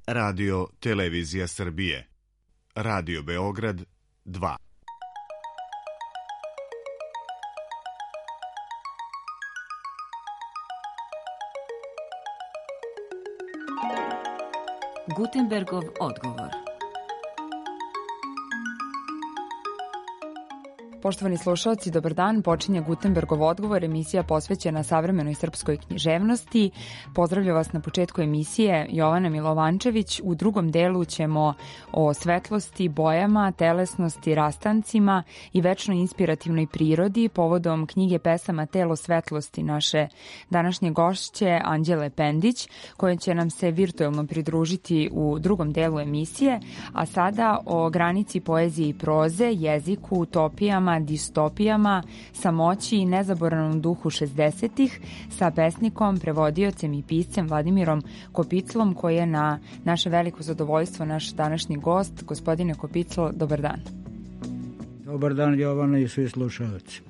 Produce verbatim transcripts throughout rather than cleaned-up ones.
Radio Televizija Srbije. Radio Beograd dva. Gutenbergov odgovor. Poštovani slušalci, dobar dan. Počinje Gutenbergov odgovor, emisija posvećena savremenoj srpskoj književnosti. Pozdravljam vas na početku emisije Jovana Milovančević. U drugom delu ćemo o svetlosti, bojama, telesnosti, rastancima i večno inspirativnoj prirodi povodom knjige pesama Telo svetlosti naše današnje gošće Anđele Pendić, koja će nam se virtuelno pridružiti u drugom delu emisije, a sada o granici poezije i proze, jeziku, utopijama, distopijama, samoći i nezaboravnom duhu šezdesetih sa pesnikom, prevodiocem i piscem Vladimirom Kopiclom, koji je na naše veliko zadovoljstvo naš današnji gost. Gospodine Kopiclo, dobar dan. Dobar dan, Jovana i svi slušalci.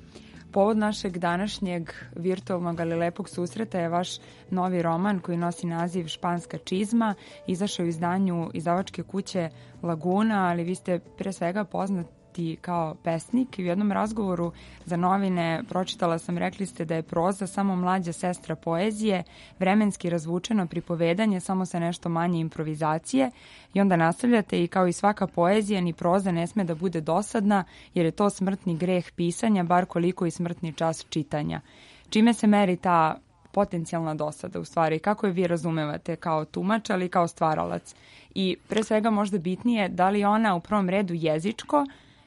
Povod našeg današnjeg virtualnog, ali lepog susreta je vaš novi roman koji nosi naziv Španska čizma. Izašao u izdanju izdavačke kuće Laguna, ali vi ste pre svega poznati kao pesnik. U jednom razgovoru za novine pročitala sam, rekli ste da je proza samo mlađa sestra poezije, vremenski razvučeno pripovedanje, samo sa nešto manje improvizacije, i onda nastavljate: i kao i svaka poezija, ni proza ne sme da bude dosadna, jer je to smrtni greh pisanja, bar koliko i smrtni čas čitanja. Čime se meri ta potencijalna dosada, u stvari? Kako je vi razumevate kao tumač, ali kao stvaralac? I pre svega možda bitnije, da li ona u prvom redu jezičko,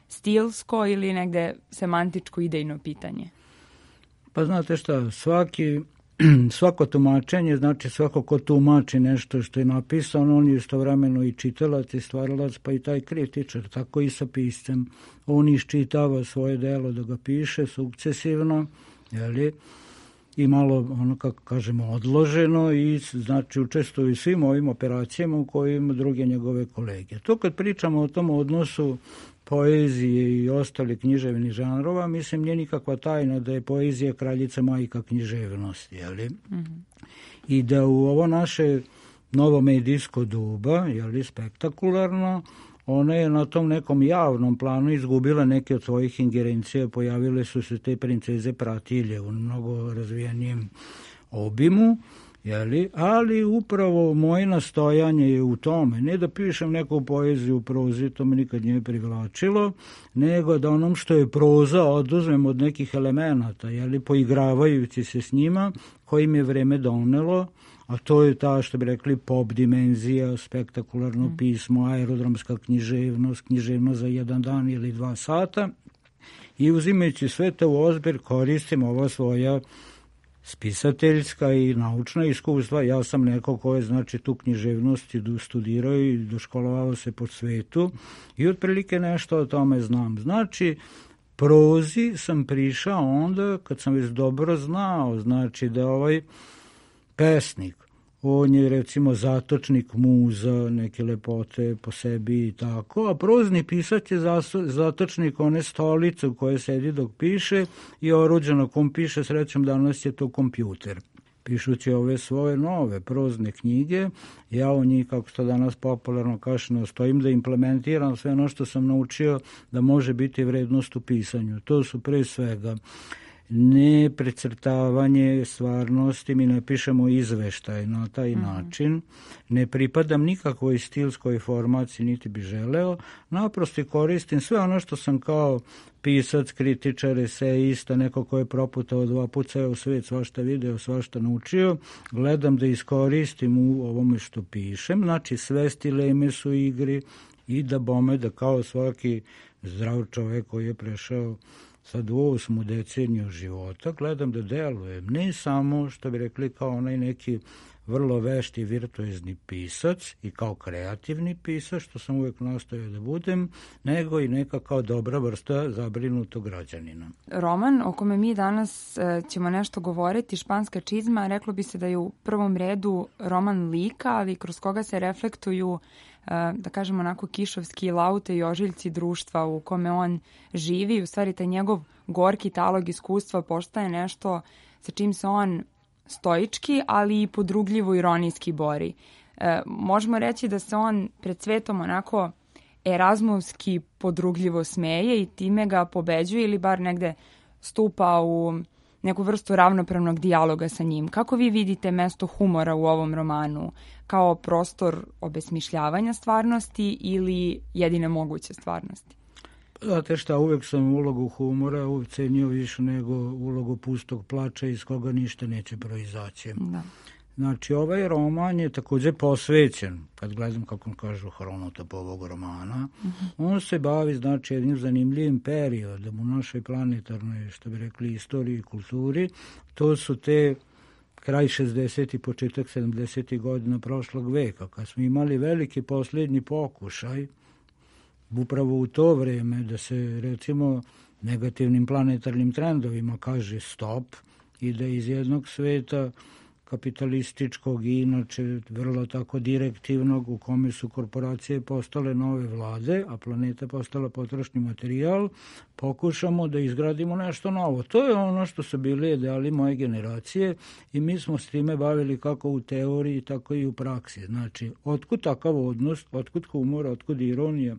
stilsko ili negde semantičko idejno pitanje? Pa znate šta, svaki, svako tumačenje, znači svako ko tumači nešto što je napisano, on je istovremeno i čitalac i stvaralac, pa i taj kritičar, tako i sa piscem. On iščitava svoje delo da ga piše sukcesivno, jeli, i malo, ono kako kažemo, odloženo, i znači učestvuje svim ovim operacijama u kojima druge njegove kolege. To kad pričamo o tom odnosu poezije i ostali književnih žanrova, mislim, nije nikakva tajna da je poezija kraljica majka književnosti, jeli? Mm-hmm. I da u ovo naše novo medijsko doba, jeli, spektakularno, ona je na tom nekom javnom planu izgubila neke od svojih ingerencija, pojavile su se te princeze pratilje u mnogo razvijenijem obimu, jeli? Ali upravo moje nastojanje je u tome, ne da pišem neku poeziju u prozi, to me nikad nije privlačilo, nego da onom što je proza oduzmem od nekih elemenata, jeli, poigravajući se s njima, kojim je vreme donelo, a to je ta, što bi rekli, pop dimenzija, spektakularno mm. pismo, aerodromska književnost, književnost za jedan dan ili dva sata, i uzimajući sve to u ozbir koristim ova svoja spisateljska i naučna iskustva. Ja sam neko ko je, znači, tu književnost studirao i doškolovao se po svetu i otprilike nešto o tome znam. Znači, prozi sam prišao onda kad sam već dobro znao, znači, da ovaj pesnik, on je recimo zatočnik muza, neke lepote po sebi i tako, a prozni pisac je zatočnik one stolice u kojoj sedi dok piše i oruđe na kom piše, srećom danas je to kompjuter. Pišući ove svoje nove prozne knjige, ja u njih, kako to danas popularno kaže, nastojim da implementiram sve ono što sam naučio da može biti vrednost u pisanju. To su pre svega ne precrtavanje stvarnosti, mi ne pišemo izveštaj na taj mm-hmm. način, ne pripadam nikakvoj stilskoj formaciji, niti bi želeo, naprosto koristim sve ono što sam kao pisac, kritičar, esejista, neko ko je proputao dva puta ceo svet, svašta video, svašta naučio, gledam da iskoristim u ovome što pišem, znači sve stileme su igri, i da bome da kao svaki zdrav čovek koji je prešao sad u osmu deceniju života, gledam da delujem, ne samo, što bi rekli, kao onaj neki vrlo vešti virtuozni pisac i kao kreativni pisac, što sam uvijek nastojao da budem, nego i neka kao dobra vrsta zabrinutog građanina. Roman o kome mi danas e, ćemo nešto govoriti, Španska čizma, reklo bi se da je u prvom redu roman lika, ali kroz koga se reflektuju, e, da kažemo onako, kišovski laute i ožiljci društva u kome on živi. U stvari, taj njegov gorki talog iskustva postaje nešto sa čim se on stoički, ali i podrugljivo ironijski bori. E, možemo reći da se on pred svetom onako erazmovski podrugljivo smeje i time ga pobeđuje ili bar negde stupa u neku vrstu ravnopravnog dijaloga sa njim. Kako vi vidite mesto humora u ovom romanu? Kao prostor obesmišljavanja stvarnosti ili jedine moguće stvarnosti? Znate šta, uvek sam ulogu humora ucenio više nego ulogu pustog plača iz koga ništa neće proizaći. Da. Znači, ovaj roman je također posvećen, kad gledam kako kažu hronotop ovog romana, uh-huh. on se bavi, znači, jednim zanimljivim periodom u našoj planetarnoj, što bi rekli, istoriji i kulturi. To su te kraj šezdesetih, početak sedamdesetih godina prošlog veka, kad smo imali veliki posljednji pokušaj, upravo u to vreme, da se, recimo, negativnim planetarnim trendovima kaže stop i da iz jednog sveta kapitalističkog i inače vrlo tako direktivnog u kome su korporacije postale nove vlade, a planeta postala potrošni materijal, pokušamo da izgradimo nešto novo. To je ono što su bili ideali moje generacije i mi smo s time bavili kako u teoriji, tako i u praksi. Znači, otkud takav odnos, otkud humor, otkud ironija?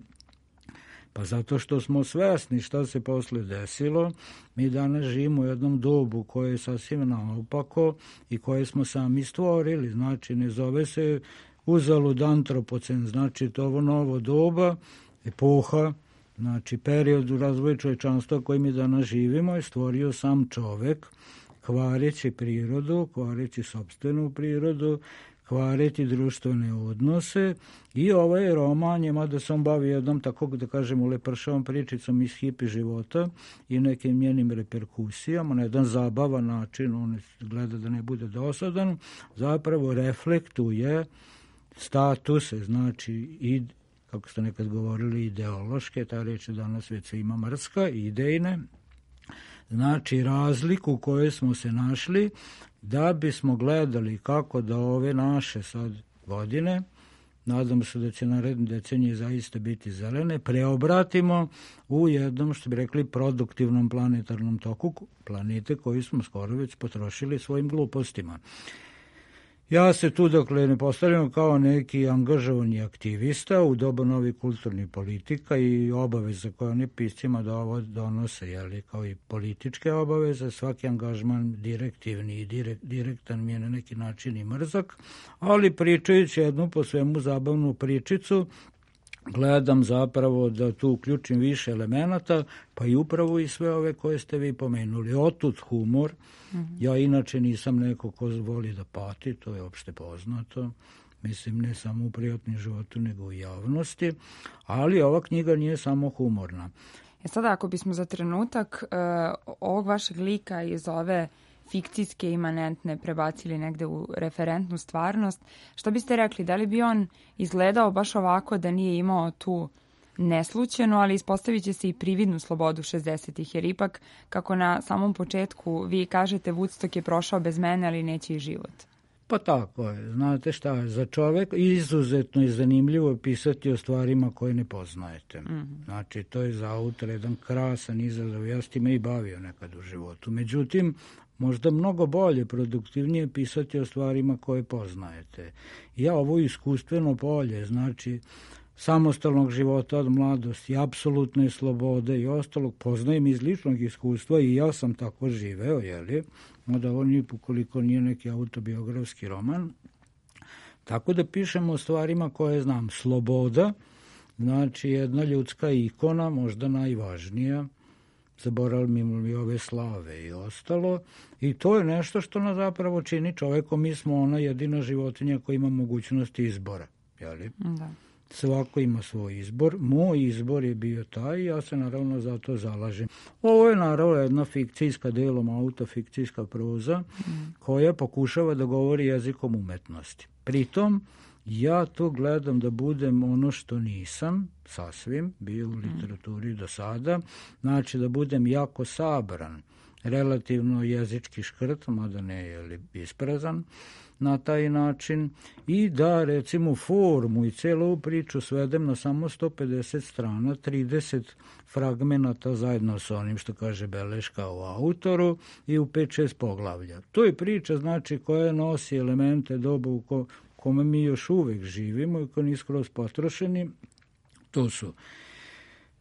Pa zato što smo svesni šta se posle desilo, mi danas živimo u jednom dobu koje je sasvim naopako i koje smo sami stvorili. Znači, ne zove se uzalud antropocen, znači to ovo novo doba, epoha, znači period u razvoju čovječanstva koji mi danas živimo je stvorio sam čovek, kvareći prirodu, kvareći sopstvenu prirodu, kvareti društvene odnose i ovaj roman je, mada se on bavi jednom tako da kažem ulepršavom pričicom iz hipi života i nekim njenim reperkusijama, na jedan zabavan način, on gleda da ne bude dosadan, zapravo reflektuje statuse, znači i, kako ste nekad govorili, ideološke, ta reč je danas već ima mrska, idejne, znači razliku u kojoj smo se našli da bismo gledali kako da ove naše sad godine, nadam se da će naredne decenije zaista biti zelene, preobratimo u jednom, što bi rekli, produktivnom planetarnom toku planete koju smo skoro već potrošili svojim glupostima. Ja se tu, dakle, ne postavljam kao neki angažovani aktivista u doba novih kulturnih politika i obaveza koje oni piscima da ovo donose, jeli, kao i političke obaveze, svaki angažman direktivni i direkt, direktan mi je na neki način i mrzak, ali pričajući jednu po svemu zabavnu pričicu, gledam zapravo da tu uključim više elemenata, pa i upravo i sve ove koje ste vi pomenuli. Otud humor. Mm-hmm. Ja inače nisam neko ko voli da pati, to je opšte poznato. Mislim, ne samo u prijatnom životu, nego u javnosti. Ali ova knjiga nije samo humorna. E sada, ako bismo za trenutak uh, ovog vašeg lika iz ove fikcijske imanentne prebacili negde u referentnu stvarnost, što biste rekli, da li bi on izgledao baš ovako da nije imao tu neslućenu, ali ispostavit će se i prividnu slobodu šezdesetih, jer ipak, kako na samom početku vi kažete, Woodstock je prošao bez mene, ali neće i život. Pa tako je. Znate šta, za čovek izuzetno je zanimljivo pisati o stvarima koje ne poznajete. Mm-hmm. Znači, to je za autor jedan krasan izazov. Ja s time i bavio nekad u životu. Međutim, možda mnogo bolje, produktivnije pisati o stvarima koje poznajete. Ja ovo iskustveno polje, znači samostalnog života od mladosti, apsolutne slobode i ostalog, poznajem iz ličnog iskustva i ja sam tako živeo, jeli? Mada ovo nije, ukoliko nije neki autobiografski roman. Tako da pišemo o stvarima koje znam. Sloboda, znači jedna ljudska ikona, možda najvažnija, zaboravimo li ove slave i ostalo. I to je nešto što nas zapravo čini čovekom. Mi smo ona jedina životinja koja ima mogućnost izbora. Jeli? Da. Svako ima svoj izbor. Moj izbor je bio taj i ja se naravno za to zalažem. Ovo je naravno jedna fikcijska, delom autofikcijska proza mm. koja pokušava da govori jezikom umetnosti. Pritom, ja to gledam da budem ono što nisam, sasvim, bio u literaturi do sada, znači da budem jako sabran, relativno jezički škrt, mada ne je isprazan, na taj način i da recimo formu i celu priču svedem na samo sto pedeset strana, trideset fragmenata zajedno sa onim što kaže beleška o autoru i u pet šest poglavlja. To je priča znači koja nosi elemente doba u ko, kome mi još uvek živimo i koji nisu skroz potrošeni. To su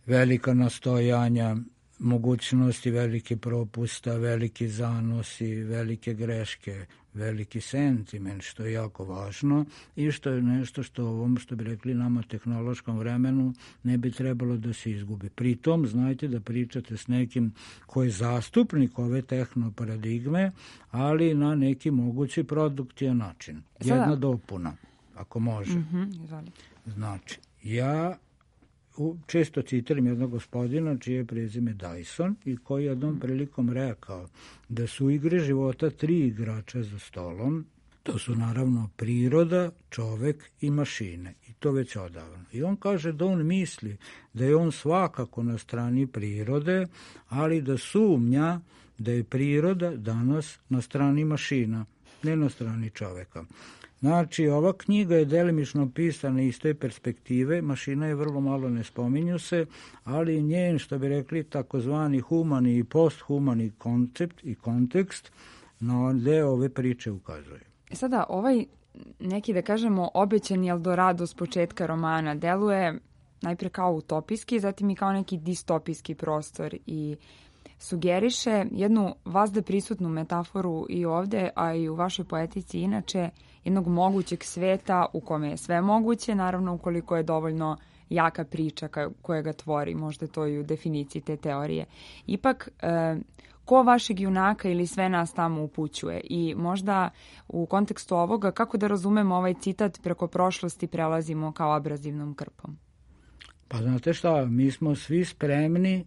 velika nastojanja, mogućnosti velike propusta, veliki zanosi, velike greške, veliki sentiment, što je jako važno i što je nešto što u ovom, što bi rekli nama, tehnološkom vremenu ne bi trebalo da se izgubi. Pritom, znajte da pričate s nekim ko je zastupnik ove tehnoparadigme, ali na neki mogući produktivan način. Jedna Sada. dopuna, ako može. Mm-hmm, znači, ja često citiram jednog gospodina čije je prezime Dyson i koji je jednom prilikom rekao da su igre života tri igrača za stolom. To su naravno priroda, čovek i mašine. I to već odavno. I on kaže da on misli da je on svakako na strani prirode, ali da sumnja da je priroda danas na strani mašina, ne na strani čoveka. Znači, ova knjiga je delimično pisana iz te perspektive, mašina je vrlo malo, ne spominju se, ali njen, što bi rekli, takozvani humani i posthumani koncept i kontekst na deo ove priče ukazuje. Sada, ovaj neki, da kažemo, obećani Eldorado s početka romana deluje najpre kao utopijski, zatim i kao neki distopijski prostor i sugeriše jednu vazda prisutnu metaforu i ovde, a i u vašoj poetici inače, jednog mogućeg sveta u kome je sve moguće, naravno ukoliko je dovoljno jaka priča koja ga tvori, možda to i u definiciji te teorije. Ipak, e, ko vašeg junaka ili sve nas tamo upućuje i možda u kontekstu ovoga kako da razumemo ovaj citat preko prošlosti prelazimo kao abrazivnom krpom? Pa znate šta, mi smo svi spremni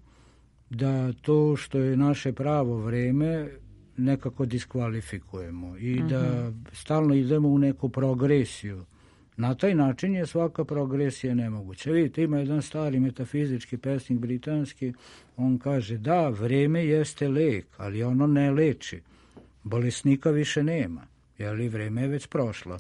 da to što je naše pravo vreme nekako diskvalifikujemo i mm-hmm. da stalno idemo u neku progresiju. Na taj način je svaka progresija nemoguća. Vidite, ima jedan stari metafizički pesnik britanski, on kaže da, vreme jeste lek, ali ono ne leči. Bolesnika više nema, jer vreme je već prošlo.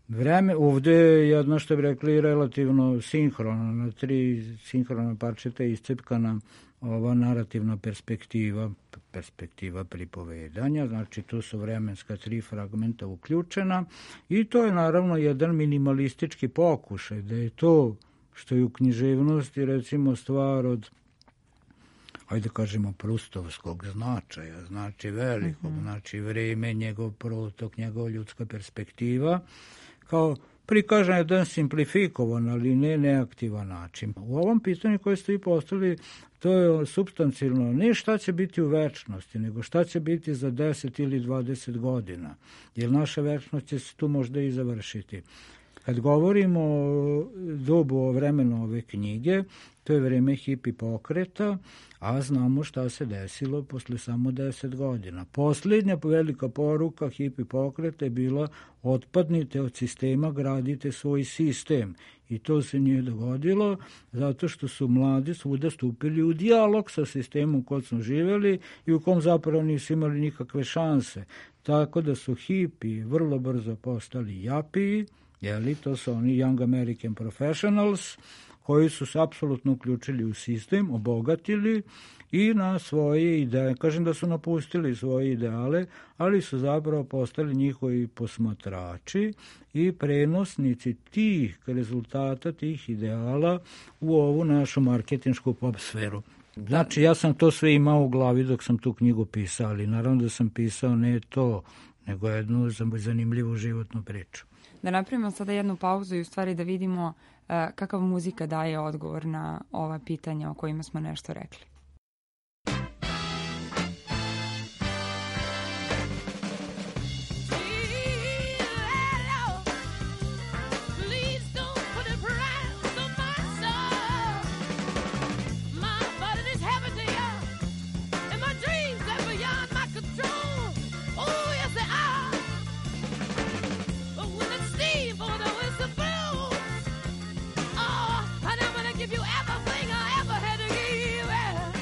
Vreme, ovde je jedno, što bi rekli, relativno sinhrono, na tri sinhrona parčeta iscepkana ova narativna perspektiva, perspektiva pripovedanja, znači tu su vremenska tri fragmenta uključena i to je naravno jedan minimalistički pokušaj, da je to što je u književnosti recimo stvar od, ajde kažemo, prustovskog značaja, znači velikog, mm-hmm. znači vreme, njegov protok, njegov ljudska perspektiva, kao prikažan jedan simplifikovan, ali ne neaktivan način. U ovom pitanju koje ste i postavili, to je supstancijalno ne šta će biti u večnosti, nego šta će biti za deset ili dvadeset godina, jer naša večnost će se tu možda i završiti. Kad govorimo o dobu, o vremenu ove knjige, to je vreme hipi pokreta, a znamo šta se desilo posle samo deset godina. Posljednja velika poruka hipi pokreta je bila otpadnite od sistema, gradite svoj sistem. I to se nije dogodilo zato što su mladi svuda stupili u dijalog sa sistemom u kojem smo živjeli i u kom zapravo nisu imali nikakve šanse. Tako da su hipi vrlo brzo postali japiji, jeli, to su oni Young American Professionals, koji su se apsolutno uključili u sistem, obogatili i na svoje ideje, kažem da su napustili svoje ideale, ali su zapravo postali njihovi posmatrači i prenosnici tih rezultata, tih ideala u ovu našu marketinšku pop sferu. Znači, ja sam to sve imao u glavi dok sam tu knjigu pisao, ali naravno da sam pisao ne to, nego jednu zanimljivu životnu priču. Da napravimo sada jednu pauzu i u stvari da vidimo uh, kakav muzika daje odgovor na ova pitanja o kojima smo nešto rekli. If you ever think I ever had to give you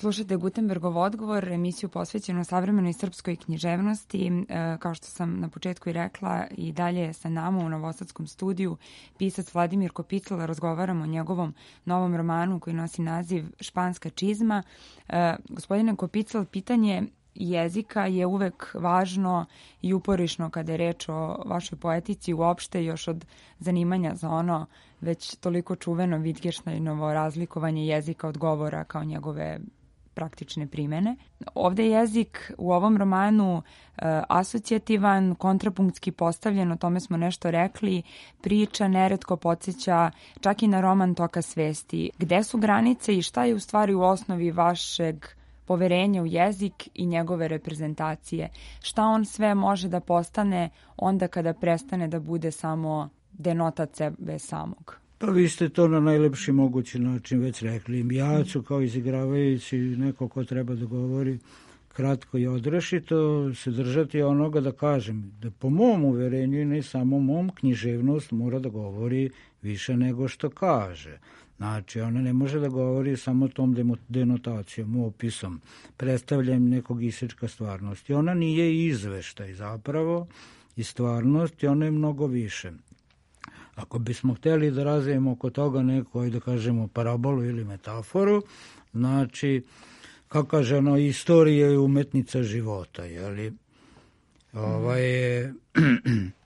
Slušajte Gutenbergov odgovor, emisiju posvećenu savremenoj srpskoj književnosti. E, kao što sam na početku i rekla, i dalje je sa nama u Novosadskom studiju pisac Vladimir Kopicl. Razgovaramo o njegovom novom romanu koji nosi naziv Španska čizma. E, gospodine Kopicl, pitanje jezika je uvek važno i uporišno kada je reč o vašoj poetici, uopšte još od zanimanja za ono već toliko čuveno Wittgensteinovo razlikovanje jezika od govora kao njegove praktične primene. Ovde je jezik u ovom romanu e, asocijativan, kontrapunktski postavljen, o tome smo nešto rekli, priča neretko podsjeća čak i na roman Toka svesti. Gde su granice i šta je u stvari u osnovi vašeg poverenja u jezik i njegove reprezentacije? Šta on sve može da postane onda kada prestane da bude samo denotat sebe samog? Pa vi ste to na najlepši mogući način već rekli. Ja ću kao izigravajući neko ko treba da govori kratko i odrešito se držati onoga da kažem da po mom uverenju i ne samo mom, književnost mora da govori više nego što kaže. Znači, ona ne može da govori samo tom denotacijom, opisom, predstavljanjem nekog isečka stvarnosti. Ona nije izveštaj zapravo i stvarnost i ona je mnogo više. Ako bismo hteli da razvijemo oko toga neku, da kažemo, parabolu ili metaforu, znači, kako kaže ono, istorija je umetnica života, jeli? Ova je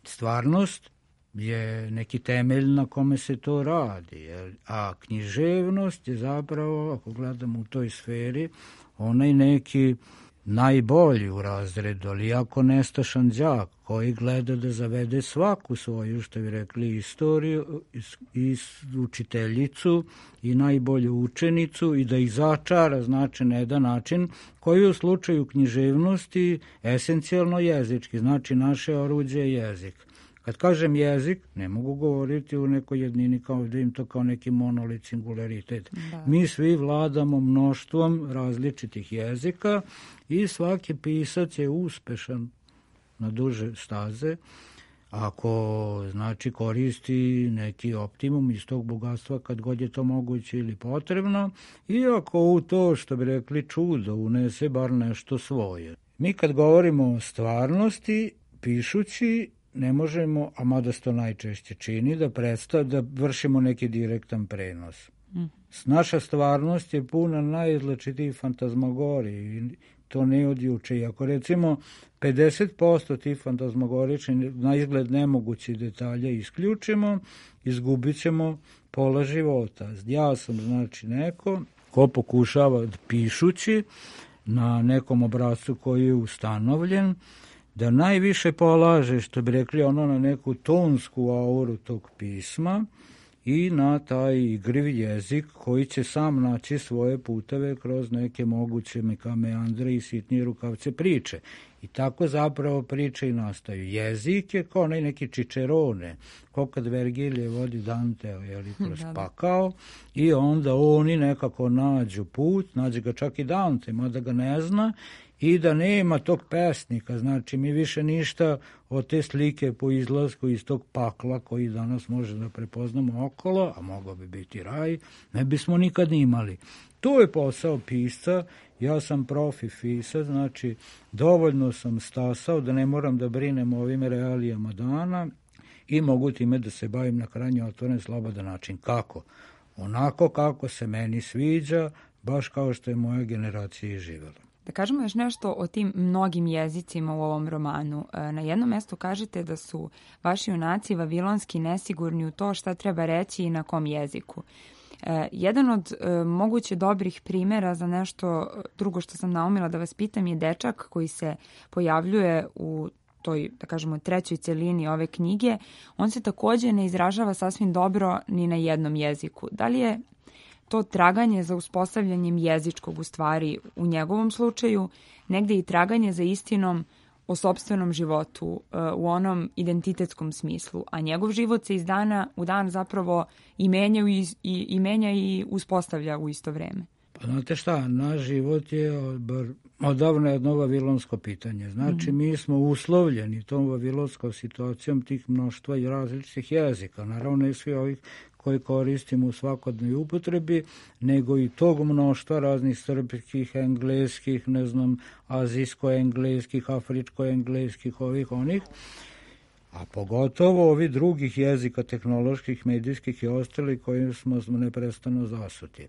stvarnost, je neki temelj na kome se to radi. Jel? A književnost je zapravo, ako gledamo u toj sferi, onaj neki najbolji u razredu, ali jako nestašan đak koji gleda da zavede svaku svoju, što bi rekli, istoriju, i učiteljicu i najbolju učenicu i da ih začara, znači na jedan način koji u slučaju književnosti esencijalno jezički, znači naše oruđe je jezik. Kad kažem jezik, ne mogu govoriti u nekoj jednini kao da im to kao neki monolit, singularitet. Da. Mi svi vladamo mnoštvom različitih jezika i svaki pisac je uspešan na duže staze ako znači koristi neki optimum iz tog bogatstva kad god je to moguće ili potrebno i ako u to, što bi rekli, čudo unese bar nešto svoje. Mi kad govorimo o stvarnosti, pišući, ne možemo, a mada se to najčešće čini, da predstav, da vršimo neki direktan prenos. Mm. Naša stvarnost je puna najrazličitijih fantazmagorija i to ne od juče. Ako recimo pedeset posto tih fantazmagoričnih na izgled nemogućih detalja isključimo, izgubit ćemo pola života. Ja sam znači neko ko pokušava pišući na nekom obrascu koji je ustanovljen, da najviše polaže, što bi rekli, ono na neku tonsku auru tog pisma i na taj igriv jezik koji će sam naći svoje puteve kroz neke moguće meandre i sitnije rukavce priče. I tako zapravo priče i nastaju. Jezik je kao neki čičerone, kao kad Vergilije vodi Danteo, jeli, kroz pakao, i onda oni nekako nađu put, nađe ga čak i Dante, mada ga ne zna, i da nema tog pesnika, znači mi više ništa od te slike po izlasku iz tog pakla koji danas može da prepoznamo okolo, a mogao bi biti raj, ne bismo nikad imali. To je posao pisca, ja sam profi pisac, znači dovoljno sam stasao da ne moram da brinem o ovim realijama dana i mogu time da se bavim na krajnje otvoren, slobodan način. Kako? Onako kako se meni sviđa, baš kao što je moja generacija i živjela. Da kažemo još nešto o tim mnogim jezicima u ovom romanu. Na jednom mjestu kažete da su vaši junaci vavilonski nesigurni u to šta treba reći i na kom jeziku. Jedan od moguće dobrih primjera za nešto drugo što sam naumila da vas pitam je dečak koji se pojavljuje u toj, da kažemo, trećoj celini ove knjige. On se također ne izražava sasvim dobro ni na jednom jeziku. Da li je to traganje za uspostavljanjem jezičkog u stvari u njegovom slučaju, negde i traganje za istinom o sopstvenom životu u onom identitetskom smislu, a njegov život se iz dana u dan zapravo i menja i, i, i, menja i uspostavlja u isto vreme. Pa znate šta, naš život je odavno jedno vavilonsko pitanje. Znači, mm. mi smo uslovljeni tom vavilonskom situacijom tih mnoštva i različitih jezika. Naravno, i svi ovih koje koristimo u svakodnevnoj upotrebi, nego i tog mnoštva raznih srpskih, engleskih, ne znam, azijsko-engleskih, afričko-engleskih, ovih, onih, a pogotovo ovi drugih jezika, tehnoloških, medijskih i ostali kojim smo, smo neprestano zasuti.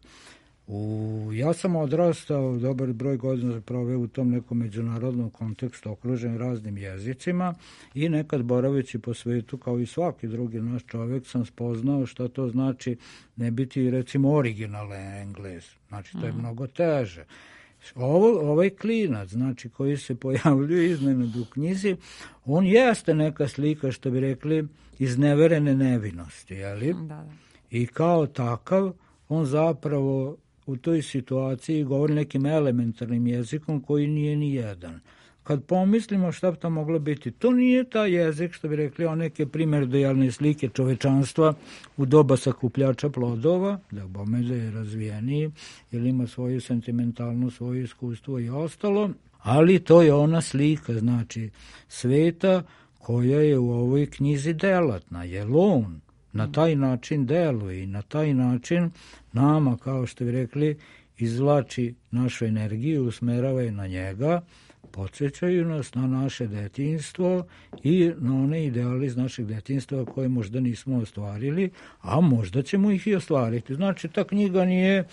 U, ja sam odrastao, dobar broj godina proveo u tom nekom međunarodnom kontekstu okružen raznim jezicima i nekad boraveći po svetu kao i svaki drugi naš čovjek sam spoznao što to znači ne biti recimo originalan Engles. Znači to je mm. mnogo teže. Ovo, ovaj klinac, znači koji se pojavljuje iznenad u knjizi, on jeste neka slika, što bi rekli, izneverene nevinosti, jeli? Da, da. I kao takav on zapravo u toj situaciji govori nekim elementarnim jezikom koji nije ni jedan. Kad pomislimo šta bi to moglo biti, to nije taj jezik, što bi rekli, on neke primjerdojalne slike čovečanstva u doba sakupljača plodova, da bome da je razvijeniji, ili ima svoju sentimentalnu, svoje iskustvo i ostalo, ali to je ona slika, znači, sveta koja je u ovoj knjizi delatna, jer on na taj način deluje i na taj način nama, kao što bi rekli, izvlači našu energiju, usmerava je na njega, podsjećaju nas na naše detinjstvo i na one ideale iz našeg detinjstva koje možda nismo ostvarili, a možda ćemo ih i ostvariti. Znači, ta knjiga nije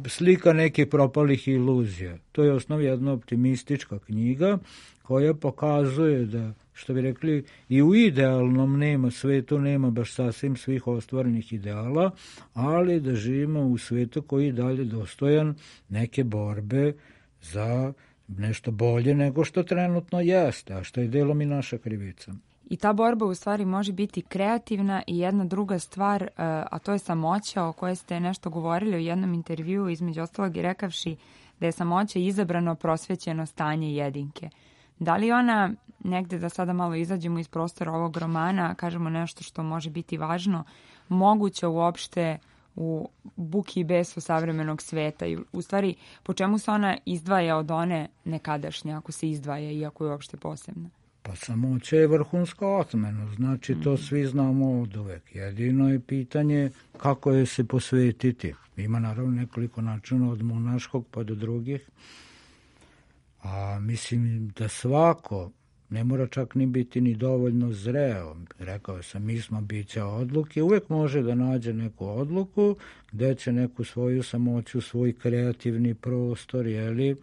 slika nekih propalih iluzija. To je osnov jedna optimistička knjiga koja pokazuje da, što bi rekli, i u idealnom nema svetu, nema baš sasvim svih ostvarenih ideala, ali da živimo u svetu koji je dalje dostojan neke borbe za nešto bolje nego što trenutno jeste, a što je delom i naša krivica. I ta borba u stvari može biti kreativna i jedna druga stvar, a to je samoća o kojoj ste nešto govorili u jednom intervjuu, između ostalog i rekavši da je samoća izabrano prosvećeno stanje jedinke. Da li ona, negde da sada malo izađemo iz prostora ovog romana, kažemo nešto što može biti važno, moguće uopšte u buki i besu savremenog sveta i u stvari po čemu se ona izdvaja od one nekadašnje, ako se izdvaja i ako je uopšte posebna? Pa samoća je vrhunska otmena, znači mm-hmm. to svi znamo od uvek. Jedino je pitanje kako je se posvetiti. Ima naravno nekoliko načina od monaškog pa do drugih, a mislim da svako ne mora čak ni biti ni dovoljno zreo. Rekao sam, mi smo bića odluke, uvek može da nađe neku odluku gde će neku svoju samoću, svoj kreativni prostor, jeli,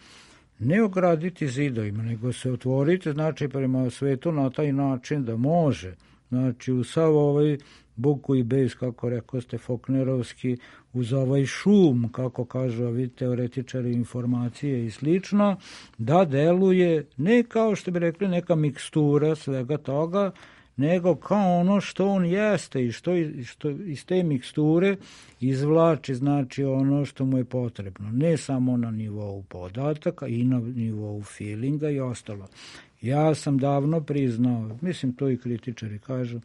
ne ograditi zidovima, nego se otvoriti, znači prema svetu na taj način da može, znači u sav ovaj buku i bes, kako rekao ste, Faulknerovski, uz ovaj šum, kako kažu ovi teoretičari informacije i slično, da deluje ne kao što bi rekli neka mikstura svega toga, nego kao ono što on jeste i što, što iz te miksture izvlači, znači ono što mu je potrebno. Ne samo na nivou podataka i na nivou feelinga i ostalo. Ja sam davno priznao, mislim to i kritičari kažu,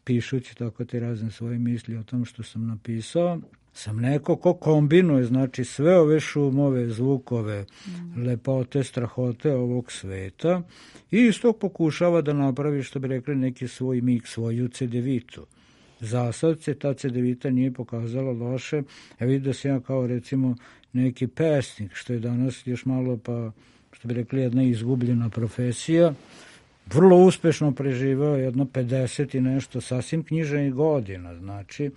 pišući tako te razne svoje misli o tom što sam napisao, sam neko ko kombinuje, znači sve ove šumove, zvukove, mm. lepote, strahote ovog sveta i isto pokušava da napravi, što bi rekli, neki svoj mik, svoju cedevitu. Za sad se ta cedevita nije pokazala loše, a vidi da sam ja kao recimo neki pesnik, što je danas još malo pa, što bi rekli, jedna izgubljena profesija, vrlo uspešno preživao jedno pedeset i nešto sasvim književnih godina, znači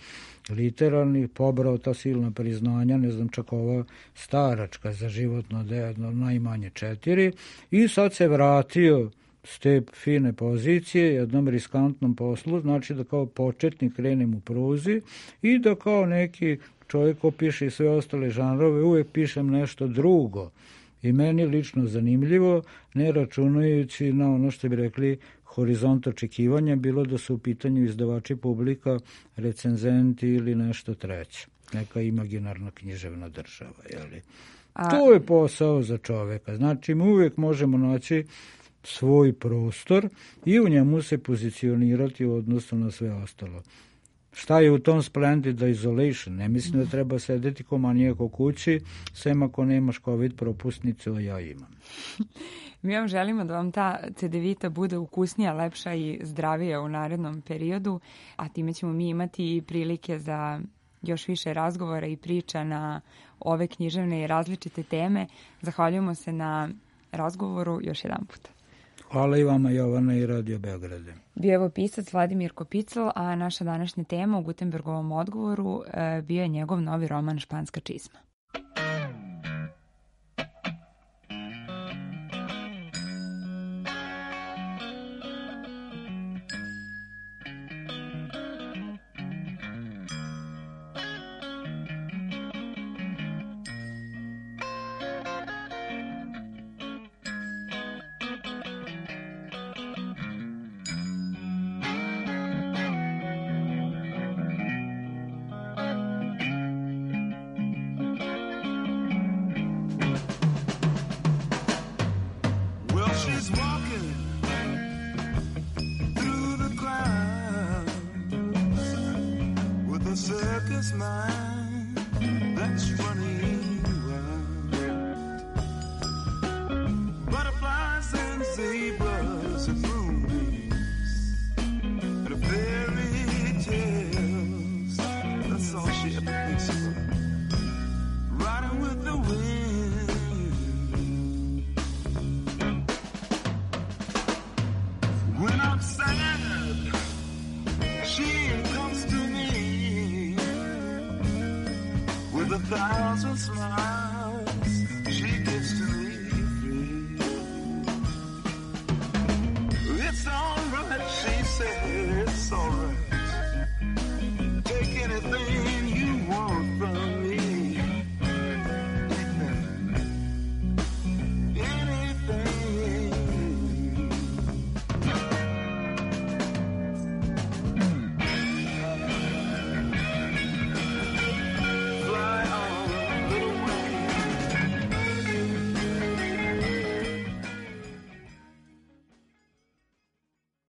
literalnih, pobrao ta silna priznanja, ne znam, čak ova staračka za životno dejedno, najmanje četiri, i sad se vratio s te fine pozicije jednom riskantnom poslu, znači da kao početnik krenem u pruzi i da kao neki čovjek ko piše i sve ostale žanrove, uvek pišem nešto drugo. I meni lično zanimljivo, ne računajući na ono što bi rekli horizont očekivanja, bilo da su u pitanju izdavači, publika, recenzenti ili nešto treće. Neka imaginarna književna država. Jeli? A... To je posao za čoveka. Znači, mi uvijek možemo naći svoj prostor i u njemu se pozicionirati u odnosu na sve ostalo. Šta je u tom Splendid Isolation? Ne mislim da treba sedeti ko manijak u kući, sem ako nemaš COVID propusnicu, a ja imam. Mi vam želimo da vam ta cedevita bude ukusnija, lepša i zdravija u narednom periodu, a time ćemo mi imati i prilike za još više razgovora i priča na ove književne i različite teme. Zahvaljujemo se na razgovoru još jedan puta. Hvala i vama, Jovana, i Radio Beograde. Bio je ovo pisac Vladimir Kopicl, a naša današnja tema u Gutenbergovom odgovoru bio je njegov novi roman Španska čizma.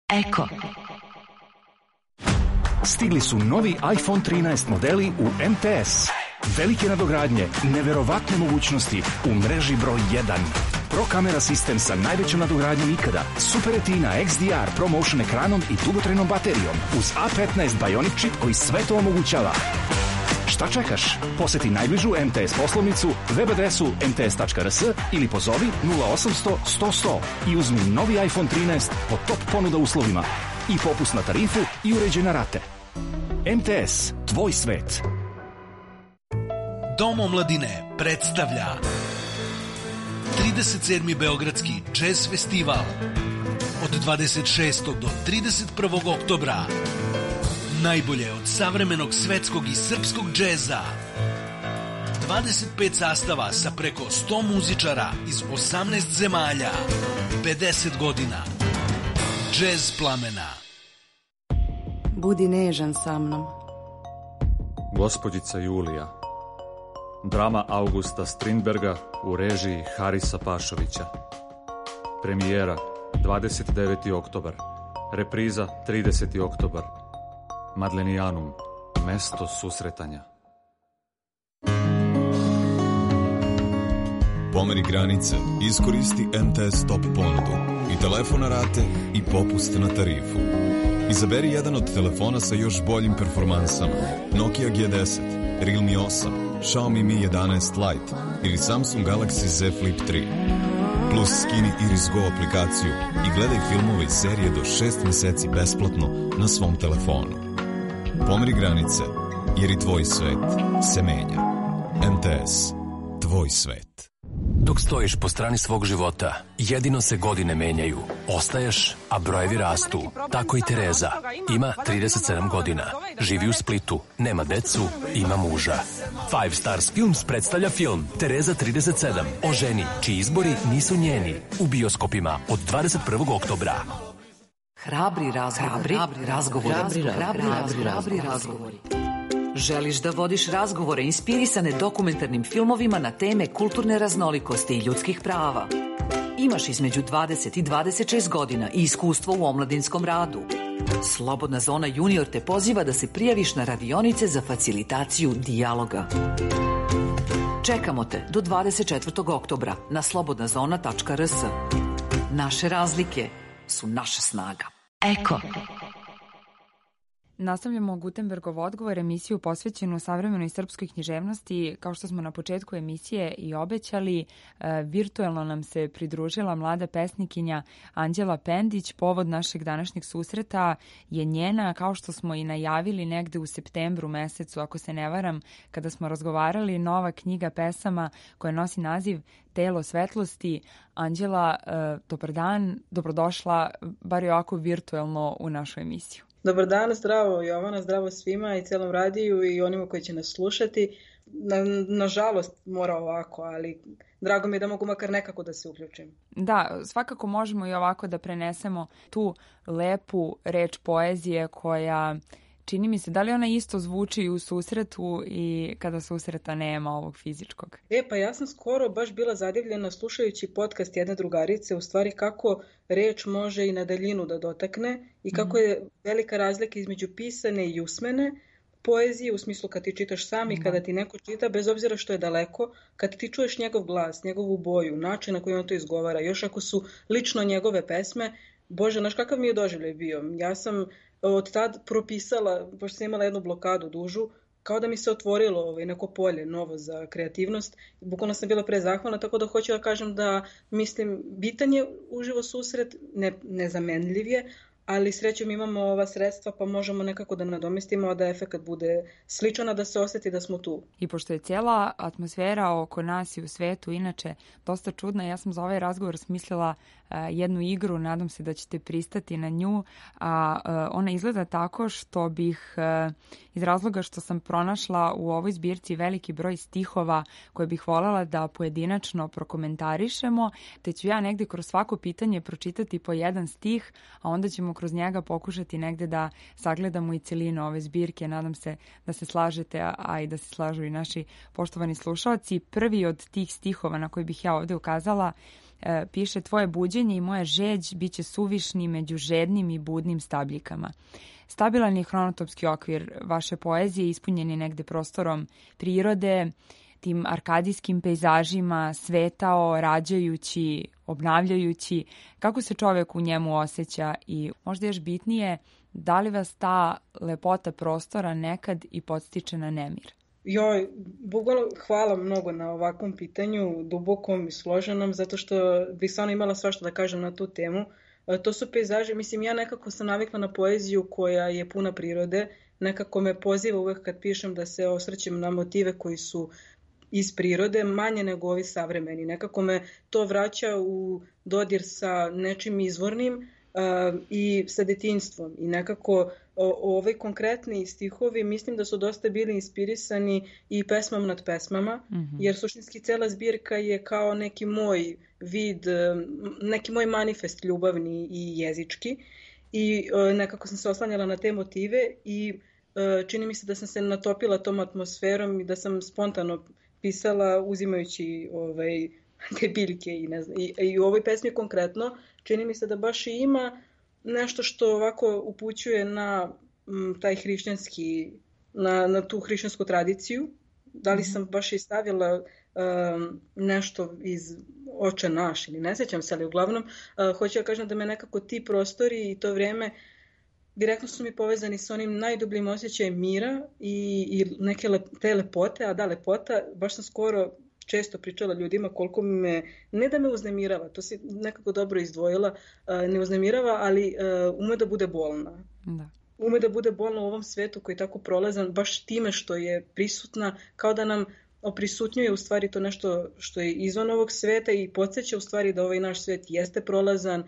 Eko. Stigli su novi iPhone trinaest modeli u M T S. Velike nadogradnje, neverovatne mogućnosti u mreži broj jedan. Pro kamera sistem sa najvećom nadogradnjom ikada, Super Retina X D R ProMotion ekranom i dugotrajnom baterijom uz A petnaest Bionic čip koji sve to omogućava. Šta čekaš? Poseti najbližu M T S poslovnicu, web adresu em te es tačka er es ili pozovi nula osamsto sto sto i uzmi novi iPhone trinaest po top ponuda uslovima i popust na tarifu i uređene rate. M T S, tvoj svet. Dom omladine predstavlja trideset sedmi Beogradski jazz festival od dvadeset šestog do trideset prvog oktobra. Najbolje od savremenog svetskog i srpskog džeza. dvadeset pet sastava sa preko sto muzičara iz osamnaest zemalja. pedeset godina. Džez plamena. Budi nežan sa mnom. Gospođica Julija. Drama Augusta Strindberga u režiji Harisa Pašovića. Premijera dvadeset deveti oktobar. Repriza trideseti oktobar. Madlenijanum, mesto susretanja. Pomeri granice, iskoristi M T S Top ponudu i telefon na rate i popust na tarifu. Izaberi jedan od telefona sa još boljim performansama. Nokia G deset, Realme osam, Xiaomi Mi jedanaest Lite ili Samsung Galaxy Z Flip tri. Plus skini Iris Go aplikaciju i gledaj filmove i serije do šest meseci besplatno na svom telefonu. Pomeri granice, jer i tvoj svet se menja. M T S, tvoj svet. Dok stojiš po strani svog života, jedino se godine menjaju. Ostaješ, a brojevi rastu. Tako i Tereza. Ima trideset sedam godina. Živi u Splitu. Nema decu, ima muža. Five Stars Films predstavlja film Tereza trideset sedam o ženi čiji izbori nisu njeni. U bioskopima od dvadeset prvog oktobra. Hrabri razgovori. Hrabri razgovori. Hrabri razgovori. Želiš da vodiš razgovore inspirisane dokumentarnim filmovima na teme kulturne raznolikosti i ljudskih prava? Imaš između dvadeset i dvadeset šest godina i iskustvo u omladinskom radu. Slobodna zona junior te poziva da se prijaviš na radionice za facilitaciju dijaloga. Čekamo te do dvadeset četvrtog oktobra na slobodna zona tačka r s. Naše razlike su naša snaga. Eko. Nastavljamo Gutenbergov odgovor, emisiju posvećenu savremenoj srpskoj književnosti. Kao što smo na početku emisije i obećali, virtuelno nam se pridružila mlada pesnikinja Anđela Pendić. Povod našeg današnjeg susreta je njena, kao što smo i najavili negde u septembru mesecu, ako se ne varam, kada smo razgovarali, nova knjiga pesama koja nosi naziv Telo svetlosti. Anđela, dobar dan, dobrodošla, bar i ovako virtuelno u našu emisiju. Dobar dan, zdravo Jovana, zdravo svima i celom radiju i onima koji će nas slušati. Na, nažalost mora ovako, ali drago mi je da mogu makar nekako da se uključim. Da, svakako možemo i ovako da prenesemo tu lepu reč poezije koja, čini mi se, da li ona isto zvuči u susretu i kada susreta nema ovog fizičkog? E, pa ja sam skoro baš bila zadivljena slušajući podcast jedne drugarice, u stvari kako reč može i na daljinu da dotakne i kako je velika razlika između pisane i usmene poezije, u smislu kad ti čitaš sam i kada ti neko čita, bez obzira što je daleko, kad ti čuješ njegov glas, njegovu boju, način na koji on to izgovara, još ako su lično njegove pesme, Bože, znaš kakav mi je doživljaj bio? Ja sam od tad propisala, pošto sam imala jednu blokadu dužu, kao da mi se otvorilo ovaj, neko polje novo za kreativnost. Bukvalno sam bila prezahvalna, tako da hoću da kažem da, mislim, bitan je uživo susret, ne, nezamenljiv je, ali srećom imamo ova sredstva pa možemo nekako da nadomestimo, a da efekat bude sličan, a da se osjeti da smo tu. I pošto je cijela atmosfera oko nas i u svetu inače dosta čudna, ja sam za ovaj razgovor smislila uh, jednu igru, nadam se da ćete pristati na nju, a uh, ona izgleda tako što bih, uh, iz razloga što sam pronašla u ovoj zbirci veliki broj stihova koje bih voljela da pojedinačno prokomentarišemo, te ću ja negde kroz svako pitanje pročitati po jedan stih, a onda ćemo kroz njega pokušati negde da sagledamo i celinu ove zbirke. Nadam se da se slažete, a i da se slažu i naši poštovani slušalci. Prvi od tih stihova na koji bih ja ovde ukazala e, piše: tvoje buđenje i moja žeđ bit će suvišni među žednim i budnim stabljikama. Stabilan je hronotopski okvir vaše poezije, ispunjen je negde prostorom prirode, tim arkadijskim pejzažima, svetao, rađajući, obnavljajući, kako se čovjek u njemu osjeća i možda još bitnije, da li vas ta lepota prostora nekad i podstiče na nemir? Joj, bukvalno hvala mnogo na ovakvom pitanju, dubokom i složenom, zato što bih stvarno imala svašta da kažem na tu temu. To su pejzaži, mislim, ja nekako sam navikla na poeziju koja je puna prirode, nekako me poziva uvek kad pišem da se osvrćem na motive koji su iz prirode, manje nego ovi savremeni. Nekako me to vraća u dodir sa nečim izvornim uh, i sa detinjstvom. I nekako o, ovaj konkretni stihovi mislim da su dosta bili inspirisani i pesmom nad pesmama, mm-hmm. jer suštinski cela zbirka je kao neki moj vid, neki moj manifest ljubavni i jezički. I uh, nekako sam se oslanjala na te motive i uh, čini mi se da sam se natopila tom atmosferom i da sam spontano pisala uzimajući ovaj, te biljke i, ne znam, i, i u ovoj pesmi konkretno čini mi se da baš i ima nešto što ovako upućuje na m, taj hrišćanski, na, na tu hrišćansku tradiciju. Da li sam baš i stavila um, nešto iz Oče naš ili ne sjećam se, ali uglavnom uh, hoću da kažem da me nekako ti prostori i to vrijeme direktno su mi povezani s onim najdubljim osjećajem mira i, i neke lep, te lepote, a da lepota, baš sam skoro često pričala ljudima koliko me, ne da me uznemirava, to si nekako dobro izdvojila, uh, ne uznemirava, ali uh, ume da bude bolna. Da. Ume da bude bolna u ovom svetu koji je tako prolazan, baš time što je prisutna, kao da nam oprisutnjuje u stvari to nešto što je izvan ovog sveta i podsjeća u stvari da ovaj naš svet jeste prolazan uh,